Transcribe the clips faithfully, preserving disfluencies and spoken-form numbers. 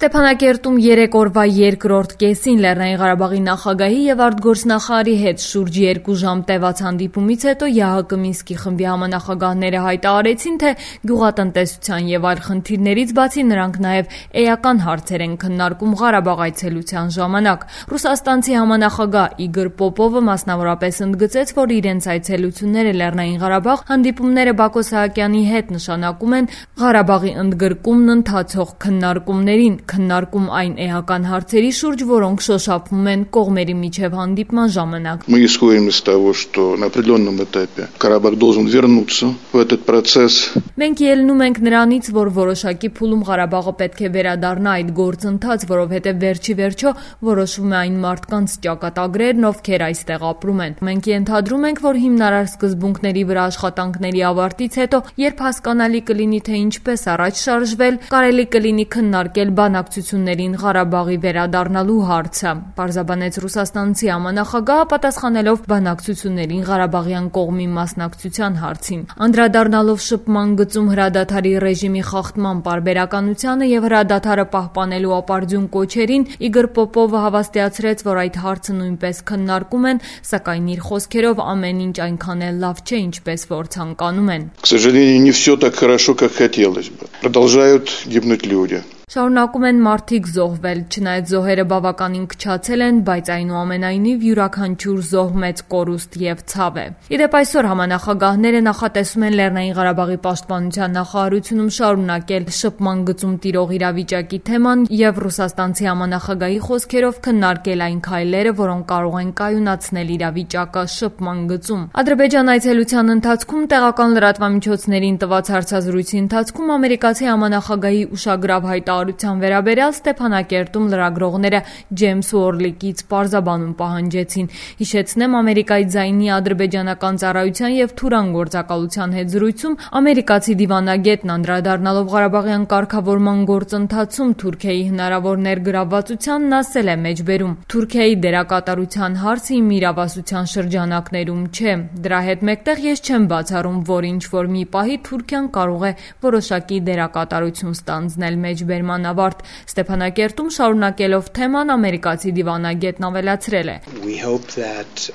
Ստեփանակերտում երեք օրվա երկրորդ կեսին Լեռնային Ղարաբաղի նախագահի եւ արտգործնախարարի հետ շուրջ երկու ժամ տևած հանդիպումից հետո ԵԱՀԿ Մինսկի խմբի համանախագահները հայտարարեցին, թե գյուղատնտեսության եւ այլ խնդիրներից բացի նրանք նաեւ էական հարցեր են քննարկում Ղարաբաղ այցելության ժամանակ։ Ռուսաստանցի համանախագահ Իգոր Պոպովը մասնավորապես ընդգծեց, որ իրենց այցելությունները Լեռնային Ղարաբաղ հանդիպումները Բակո Սահակյանի հետ նշանակում են Ղարաբաղի ընդգրկումն ընթացող քննարկումներին, քննարկում այն էական հարցերի շուրջ, որոնք շոշափվում են կողմերի միջև հանդիպման ժամանակ։ Мы исходим из того, что на определенном этапе Карабах должен вернуться в этот процесс. Մենք ելնում ենք նրանից, որ որոշակի փուլում Ղարաբաղը պետք է վերադառնա այդ գործընթաց, որովհետև վերջի վերջո որոշվում է այն մարդկանց ճակատագրերն, ովքեր այստեղ ապրում են։ Մենք ենթադրում ենք, որ հիմնարար սկզբունքների վրա աշխատանքների ավարտից հետո, երբ հասկանալի կլինի, թե ինչպես առաջ շարժվել, կարելի կլինի քննարկել բանակցություններին Ղարաբաղի վերադառնալու հարցը, պարզաբանեց ռուսաստանցի համանախագահը, պատասխանելով բանակցություններին Ղարաբաղյան կողմի մասնակցության հարցին։ Անդրադառնալով շփման գծում հրադադարի ռեժիմի խախտման պարբերականությանը եւ հրադադարը պահպանելու ապարդյուն կոչերին, Իգոր Պոպովը հավաստիացրեց, որ այդ հարցը նույնպես քննարկում են, սակայն իր խոսքերով ամեն ինչ այնքան էլ լավ չէ, ինչպես որ ցանկանում են։ К сожалению, не все так хорошо, как хотелось бы. Продолжают гибнуть люди. Շարունակում են մարդիկ զոհվել, չնայած զոհերը բավականին քչացել են, բայց այնուամենայնիվ յուրաքանչյուր զոհ մեծ կորուստ եւ ցավ է։ Իդեպ այսօր համանախագահները նախատեսում են Լեռնային Ղարաբաղի պաշտպանության նախարարությունում շարունակել շփման գծում տիրող իրավիճակի թեման եւ ռուսաստանցի համանախագահի խոսքերով քննարկել այն քայլերը, որոնք կարող են կայունացնել իրավիճակը շփման գծում։ Ադրբեջան այցելության ընթացքում տեղական լրատվամիջոցներին տված հարցազրույցի ընթացքում ամերիկացի համանախագահի ուշագրավ հայտարարություն վերաբերյալ Ստեփանակերտում լրագրողները Ջեյմս Ուորլիկից պարզաբանում պահանջեցին։ Հիշեցնեմ, Ամերիկայի ձայնի ադրբեջանական ծառայության եւ Թուրան գործակալության հետ զրույցում ամերիկացի դիվանագետն անդրադառնալով Ղարաբաղյան կարգավորման գործընթացում Թուրքիայի հնարավոր ներգրավվածությանն ասել է մեջբերում. Թուրքիայի դերակատարության հարցը իմ իրավասության շրջանակներում չէ։ Դրա հետ մեկտեղ ես չեմ բացառում, որ ինչ որ մի պահի Թուրքիան կարող է որոշակի դերակատարություն ստանձնել մեջբերման ավարտ։ Ստեփանակերտում շարունակելով թեման ամերիկացի դիվանագետն ավելացրել է. We hope that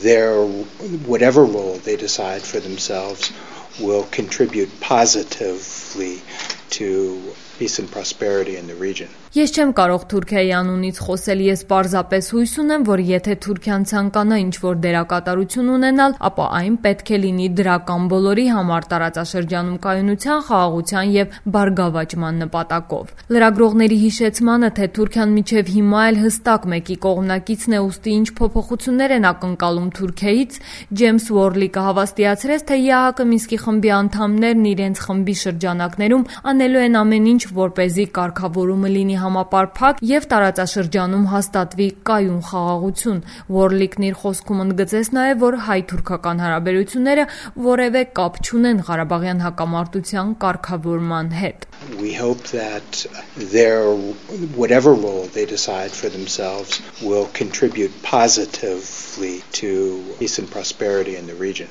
their whatever role they decide for themselves will contribute positively to peace and prosperity in the region. Ես չեմ կարող Թուրքիայի անունից խոսել, ես պարզապես հույս ունեմ, որ եթե Թուրքիան ցանկանա ինչ-որ դերակատարություն ունենալ, ապա այն պետք է լինի դրական բոլորի համար տարածաշրջանում կայունության, խաղաղության եւ բարգավաճման նպատակով։ Լրագրողների հիշեցմանը, թե Թուրքիան միջև հիմա էլ հստակ մեկի կողմնակիցն է, ուստի ինչ փոփոխություններ են ակնկալում Թուրքիայից, Ջեյմս Ուորլիկը հավաստիացրեց, թե ԵԱՀԿ Մինսկի խմբի անդամներն իրենց խմբի շրջանակներում անելու են ամեն ինչ, որպեսզի կարգավորումը լինի համապարփակ եւ տարածաշրջանում հաստատվի կայուն խաղաղություն։ Ուորլիկն իր խոսքում ընդգծեց նաեւ, որ հայ-թուրքական հարաբերությունները որևէ կապ չունեն Ղարաբաղյան հակամարտության կարգավորման հետ։ We hope that their whatever role they decide for themselves will contribute positively to peace and prosperity in the region.